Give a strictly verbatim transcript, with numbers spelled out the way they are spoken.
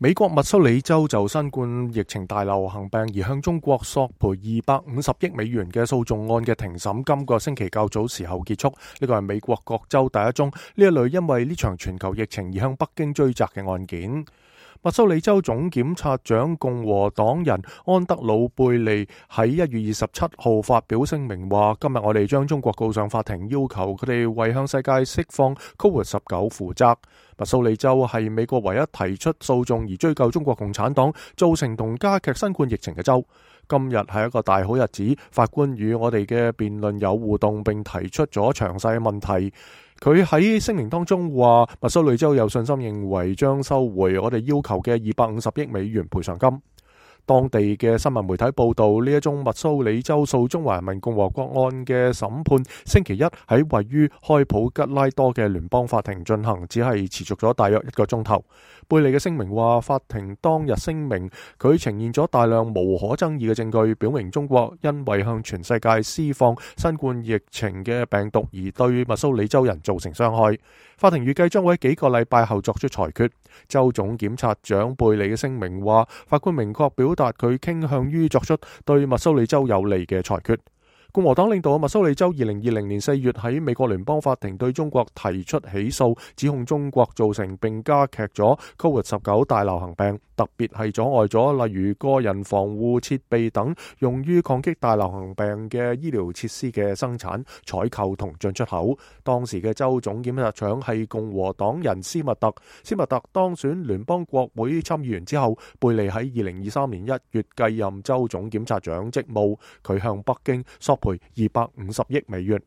美國密蘇里州就新冠疫情大流行病而向中國索賠二百五十億美元嘅訴訟案嘅庭審今個星期較早時候結束。呢個係美國各州第一宗呢一類因為呢場全球疫情而向北京追責嘅案件。密蘇里州總檢察長共和黨人安德魯貝利喺一月二十七號發表聲明話：今日我哋將中國告上法庭，要求佢哋為向世界釋放 Covid 十九 負責。密蘇里州係美國唯一提出訴訟而追究中國共產黨造成同加劇新冠疫情嘅州。今日係一個大好日子，法官與我哋嘅辯論有互動，並提出咗詳細嘅問題。佢喺聲明當中話，密蘇里州有信心認為將收回我哋要求嘅二百五十億美元賠償金。當地嘅新聞媒體報道，呢一宗密蘇里州訴中華人民共和國案嘅審判，星期一喺位於開普吉拉多嘅聯邦法庭進行，只係持續咗大約一個鐘頭。貝利嘅聲明話，法庭當日聲明佢呈現咗大量無可爭議嘅證據，表明中國因為向全世界施放新冠疫情嘅病毒而對密蘇里州人造成傷害。法庭預計將會喺幾個禮拜後作出裁決。州總檢察長貝利嘅聲明話，法官明確表達佢傾向於作出對密蘇里州有利嘅裁決。共和黨領導嘅密蘇里州二零二零年四月喺美國聯邦法庭對中國提出起訴，指控中國造成並加劇咗 Covid 十九 大流行病，特別係阻礙咗例如個人防護設備等用於抗擊大流行病嘅醫療設施嘅生產、採購同進出口。當時嘅州總檢察長係共和黨人斯密特。斯密特當選聯邦國會參議員之後，貝利喺二零二三年一月繼任州總檢察長職務。佢向北京索賠二百五十億美元。